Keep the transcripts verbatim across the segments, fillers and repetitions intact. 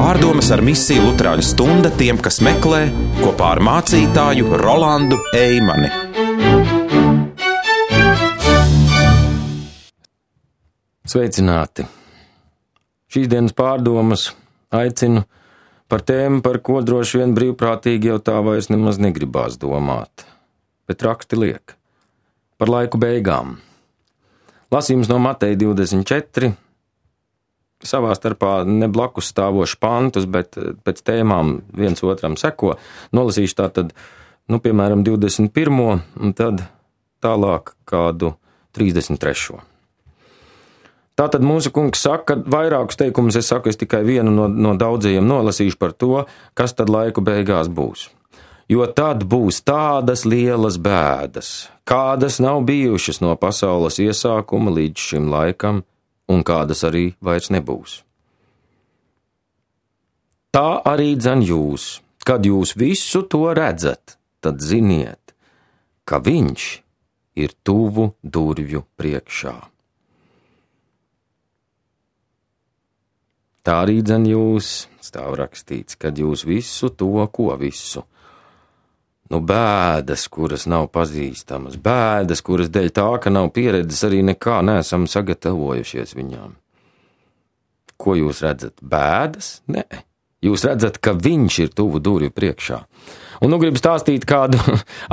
Pārdomas ar misiju Luterāņu stunda tiem, kas meklē, kopā ar mācītāju Rolandu Eimani. Sveicināti! Šīs dienas pārdomas aicinu par tēmu, par ko droši vien brīvprātīgi jau tā vairs nemaz negribās domāt, bet raksti liek par laiku beigām. Lasījums no Mateja divdesmit četri, savā starpā ne blakus stāvoši pantus, bet pēc tēmām viens otram seko. Nolasīšu tātad, nu, piemēram, divdesmit pirmo un tad tālāk kādu trīsdesmit trešo. Tātad mūsu kungs saka, vairākus teikumus es saku, es tikai vienu no, no daudzajiem nolasīšu par to, kas tad laiku beigās būs. Jo tad būs tādas lielas bēdas, kādas nav bijušas no pasaules iesākuma līdz šim laikam, un kādas arī vairs nebūs. Tā arī dzen jūs, kad jūs visu to redzat, tad ziniet, ka viņš ir tuvu durvju priekšā. Tā arī dzen jūs, stāv rakstīts, kad jūs visu to, ko visu. Nu, bēdas, kuras nav pazīstamas, bēdas, kuras dēļ tā, ka nav pieredzes, arī nekā neesam sagatavojušies viņām. Ko jūs redzat? Bēdas? Nē. Jūs redzat, ka viņš ir tuvu durvju priekšā. Un nu gribu stāstīt kādu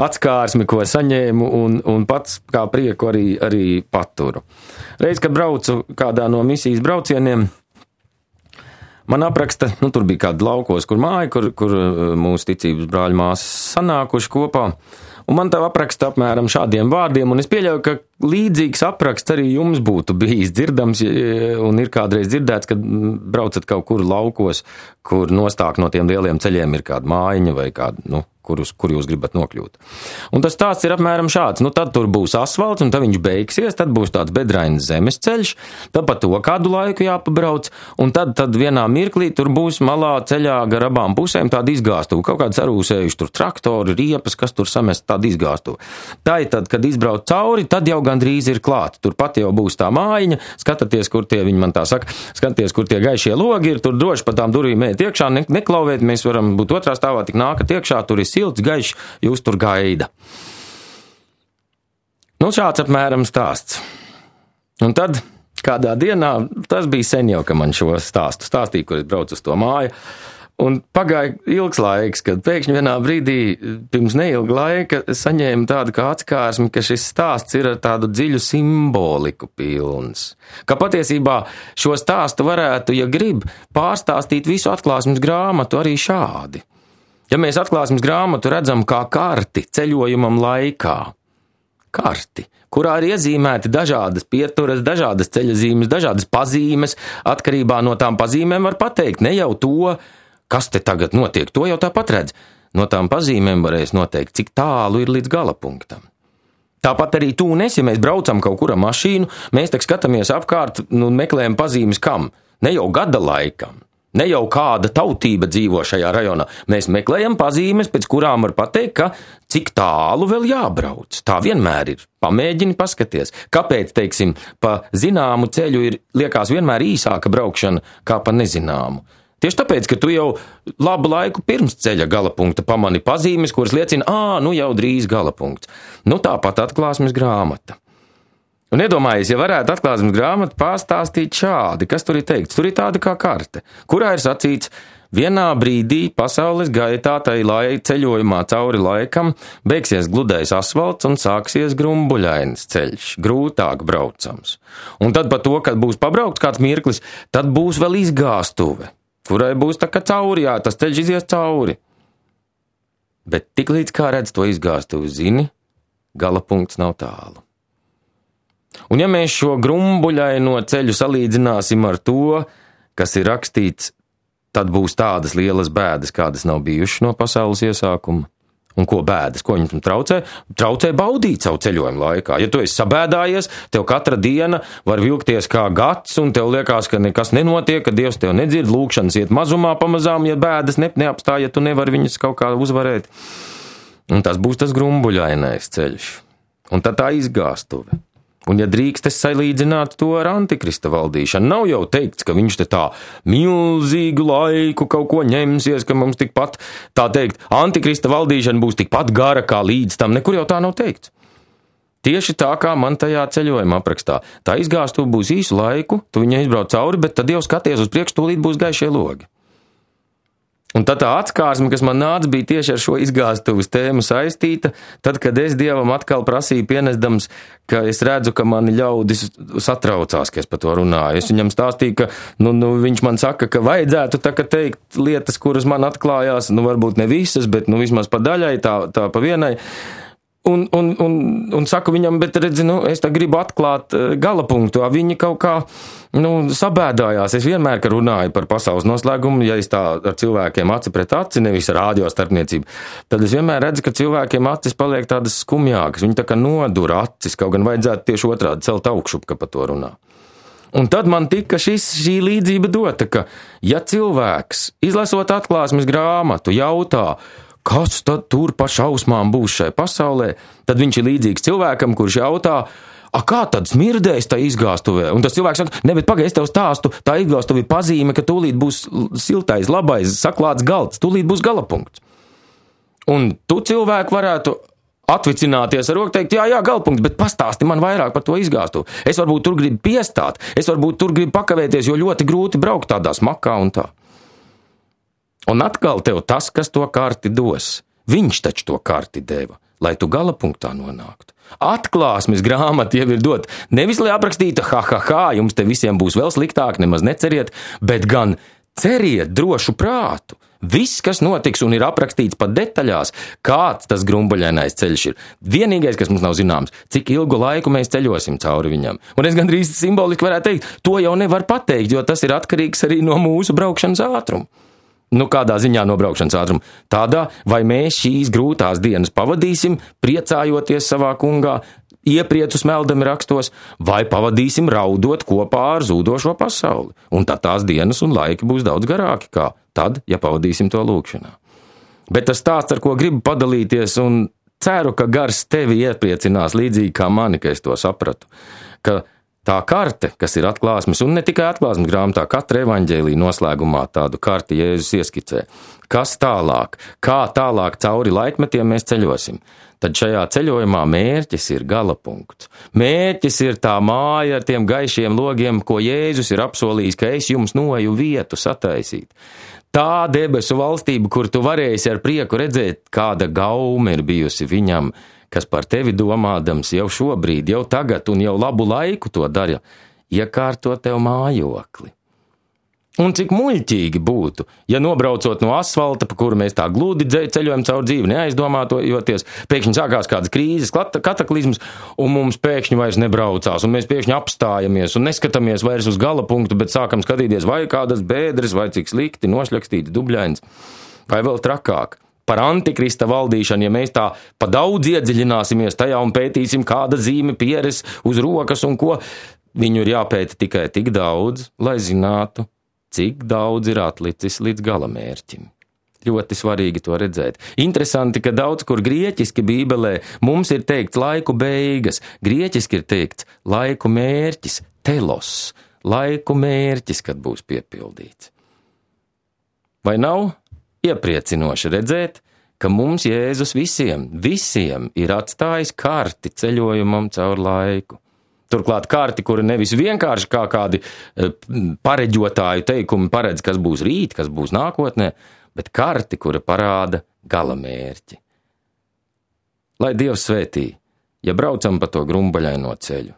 atskārsmi, ko saņēmu, un, un pats kā prieku arī, arī paturu. Reiz, kad braucu kādā no misijas braucieniem, man apraksta, nu tur bija kāda laukos, kur māja, kur, kur mūsu ticības brāļu māsas sanākuši kopā, un man tā apraksta apmēram šādiem vārdiem, un es pieļauju, ka līdzīgs apraksts arī jums būtu bijis dzirdams, un ir kādreiz dzirdēts, kad braucat kaut kur laukos, kur nostāk no tiem lieliem ceļiem ir kāda mājiņa vai kāda, nu, kur jūs, kur jūs gribat nokļūt. Un tas stāsts ir apmēram šāds, nu tad tur būs asfalts, un tad viņš beigsies, tad būs tāds bedrains zemes ceļš, tad pa to kādu laiku jāpabrauc, un tad, tad vienā mirklī tur būs malā ceļā gar abām pusēm tāda izgāstuva, kaut kāds arūsējuši tur traktori, riepas, kas tur samest tāda izgāstuva. Tā ir tad, kad izbrauc cauri, tad jau gandrīz ir klāt, tur pat jau būs tā mājiņa, skatāties, kur tie, viņi man tā saka, skatāties, kur tie gaišie logi ir, tur droši pa tām durvīm ēt iekšā, ne, neklauvēt, mēs varam būt otrā stāvā, tik nākat iekšā, tur ir silts, gaišs, jūs tur gaida. Nu, šāds apmēram stāsts. Un tad, kādā dienā, tas bija sen jau, ka man šo stāstu stāstīja, kur es braucu uz to māju, un pagāja ilgs laiks, kad pēkšņi vienā brīdī, pirms neilga laika, saņēma tādu kā atskārsmi, ka šis stāsts ir ar tādu dziļu simboliku pilns. Ka patiesībā šo stāstu varētu, ja grib, pārstāstīt visu atklāsmes grāmatu arī šādi. Ja mēs atklāsmes grāmatu redzam kā karti ceļojumam laikā, karti, kurā ir iezīmēti dažādas pieturas, dažādas ceļazīmes, dažādas pazīmes, atkarībā no tām pazīmēm var pateikt ne jau to, kas te tagad notiek, to jau tāpat redz. No tām pazīmēm varēs noteikt, cik tālu ir līdz galapunktam. Tāpat arī tu un es, ja mēs braucam kaut kur ar mašīnu, mēs tak skatāmies apkārt, nu meklējam pazīmes kam? Ne jau gada laikam. Ne jau kāda tautība dzīvo šajā rajonā. Mēs meklējam pazīmes, pēc kurām var pateikt, ka cik tālu vēl jābrauc. Tā vienmēr ir. Pamēģini paskaties. Kāpēc, teiksim, pa zināmu ceļu ir liekas vienmēr īsāka braukšana kā pa nezināmu? Tieši tāpēc, ka tu jau labu laiku pirms ceļa galapunkta pamani pazīmes, kuras liecina, ā, nu jau drīz galapunkts. Nu tāpat atklāsmes grāmata. Un iedomājies, ja varētu atklāsmes grāmatu pastāstīt šādi, kas tur ir teikts, tur ir tāda kā karte, kurā ir sacīts, vienā brīdī pasaules gaitā tai lai ceļojumā cauri laikam beigsies gludais asfalts un sāksies grumbuļains ceļš, grūtāk braucams. Un tad pa to, kad būs pabraukts kāds mirklis, tad būs vēl izgāstuve, kurai būs tā kā cauri, jā, tas ceļš izies cauri. Bet tik līdz kā redz to izgāstuvi zini, galapunkts nav tālu. Un ja mēs šo grumbuļaino ceļu salīdzināsim ar to, kas ir rakstīts, tad būs tādas lielas bēdas, kādas nav bijušas no pasaules iesākuma. Un ko bēdas, ko viņam traucē? Traucē baudīt savu ceļojumu laikā. Ja tu esi sabēdājies, tev katra diena var vilkties kā gads, un tev liekas, ka nekas nenotiek, ka Dievs tev nedzird, lūkšanas iet mazumā pamazām, ja bēdas ne, neapstāj, ja tu nevari viņas kaut kā uzvarēt. Un tas būs tas grumbuļainais ceļš. Un tad tā izgāstuve. Un, ja drīkst, es salīdzinātu to ar Antikrista valdīšanu. Nav jau teikts, ka viņš te tā milzīgu laiku kaut ko ņemsies, ka mums tikpat, tā teikt, Antikrista valdīšana būs tikpat gara kā līdz tam. Nekur jau tā nav teikts. Tieši tā, kā man tajā ceļojuma aprakstā. Tā izgāstuve būs īsu laiku, tu viņai izbrauc cauri, bet tad jau skaties uz priekšu, tūlīt būs gaišie logi. Un tad tā atskārsme, kas man nāca, bija tieši ar šo izgāstuves tēmu saistīta, tad, kad es Dievam atkal prasīju pienesdams, ka es redzu, ka mani ļaudis satraucās, ka es par to runāju. Es viņam stāstīju, ka nu, nu, viņš man saka, ka vajadzētu tā, ka teikt lietas, kuras man atklājās, nu varbūt ne visas, bet nu vismaz pa daļai, tā, tā pa vienai. Un, un, un, un saku viņam, bet redzi, nu, es tā gribu atklāt gala punktu, viņi kaut kā, nu, sabēdājās. Es vienmēr, ka runāju par pasaules noslēgumu, ja es tā ar cilvēkiem aci pret aci, nevis ar rādio starpniecību, tad es vienmēr redzu, ka cilvēkiem acis paliek tādas skumjākas, viņi tā kā nodura acis, kaut gan vajadzētu tieši otrādi celt augšu, ka par to runā. Un tad man tika šis, šī līdzība dota, ka ja cilvēks, izlasot atklāsmes grāmatu, jautā, kas tad tur pa šausmām būs šai pasaulē, tad viņš ir līdzīgs cilvēkam, kurš jautā, a kā tad smirdēs tā izgāstuvē? Un tas cilvēks saka, ne, bet pagaid, es tev stāstu, tā izgāstuve ir pazīme, ka tūlīt būs siltais, labais, saklāts galds, tūlīt būs galapunkts. Un tu cilvēku varētu atvicināties ar roku, teikt, jā, jā, galapunkts, bet pastāsti man vairāk par to izgāstuvi. Es varbūt tur gribu piestāt, es varbūt tur gribu pakavēties, jo ļoti grūti braukt tādā smakā un tā. Un atkal tev tas, kas to karti dos, viņš taču to karti deva, lai tu galapunktā nonāktu. Atklāsmes grāmata jau ir dot, nevis lai aprakstītu, ha, ha, ha, jums te visiem būs vēl sliktāk, nemaz neceriet, bet gan ceriet drošu prātu. Viss, kas notiks un ir aprakstīts pat detaļās, kāds tas grumbaļainais ceļš ir. Vienīgais, kas mums nav zināms, cik ilgu laiku mēs ceļosim cauri viņam. Un es gandrīz simboliski varētu teikt, to jau nevar pateikt, jo tas ir atkarīgs arī no mūsu braukšanas ātruma. Nu, kādā ziņā no braukšanas ātruma? Tādā, vai mēs šīs grūtās dienas pavadīsim, priecājoties savā kungā, iepriecu smeldami rakstos, vai pavadīsim raudot kopā ar zūdošo pasauli. Un tad tās dienas un laiki būs daudz garāki, kā tad, ja pavadīsim to lūkšanā. Bet tas stāsts, ar ko gribu padalīties, un ceru, ka gars tevi iepriecinās līdzīgi kā mani, ka es to sapratu, ka tā karte, kas ir atklāsmes, un ne tikai atklāsmes grāmatā, katra evaņģēlija noslēgumā tādu karti Jēzus ieskicē. Kas tālāk? Kā tālāk cauri laikmetiem mēs ceļosim? Tad šajā ceļojumā mērķis ir galapunkts. Mērķis ir tā māja ar tiem gaišiem logiem, ko Jēzus ir apsolījis, ka es jums noeju vietu sataisīt. Tā debesu valstība, kur tu varēsi ar prieku redzēt, kāda gaume ir bijusi viņam, kas par tevi domādams jau šobrīd, jau tagad un jau labu laiku to dara, iekārto tev mājokli. Un cik muļķīgi būtu, ja nobraucot no asfalta, pa kuru mēs tā gludi ceļojam caur dzīvi, neaizdomātojoties, pēkšņi sākās kādas krīzes, kataklizmas, un mums pēkšņi vairs nebraucās, un mēs pēkšņi apstājamies un neskatāmies vairs uz gala punktu, bet sākam skatīties, vai kādas bēdres, vai cik slikti, nošļakstīti dubļains, vai vēl trakāk. Par Antikrista valdīšanu, ja mēs tā pa daudz iedziļināsimies tajā un pētīsim, kāda zīme pieres uz rokas un ko, viņu ir jāpēta tikai tik daudz, lai zinātu, cik daudz ir atlicis līdz galamērķim. Ļoti svarīgi to redzēt. Interesanti, ka daudz kur grieķiski Bībelē mums ir teikts laiku beigas, grieķiski ir teikts laiku mērķis, telos, laiku mērķis, kad būs piepildīts. Vai nav? Iepriecinoši redzēt, ka mums Jēzus visiem, visiem ir atstājis karti ceļojumam caur laiku. Turklāt karti, kura nevis vienkārši kā kādi pareģotāju teikumi paredz, kas būs rīt, kas būs nākotnē, bet karti, kura parāda galamērķi. Lai Dievs svētī, ja braucam pa to grumbaļaino ceļu,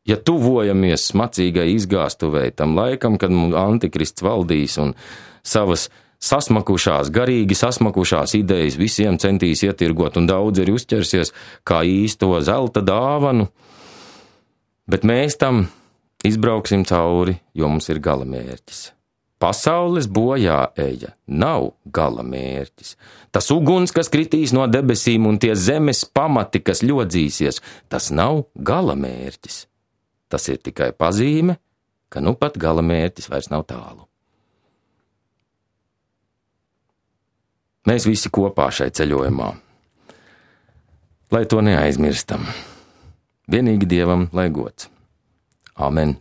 ja tuvojamies smacīgai izgāstuvei tam laikam, kad mums Antikrists valdīs un savas sasmakušās, garīgi sasmakušās idejas visiem centīs ietirgot, un daudz ir uzķersies kā īsto zelta dāvanu, bet mēs tam izbrauksim cauri, jo mums ir galamērķis. Pasaules bojā eja nav galamērķis. Tas uguns, kas kritīs no debesīm, un tie zemes pamati, kas ļodzīsies, tas nav galamērķis. Tas ir tikai pazīme, ka nu pat galamērķis vairs nav tālu. Mēs visi kopā šai ceļojumā, lai to neaizmirstam. Vienīgi Dievam lai gods. Āmen.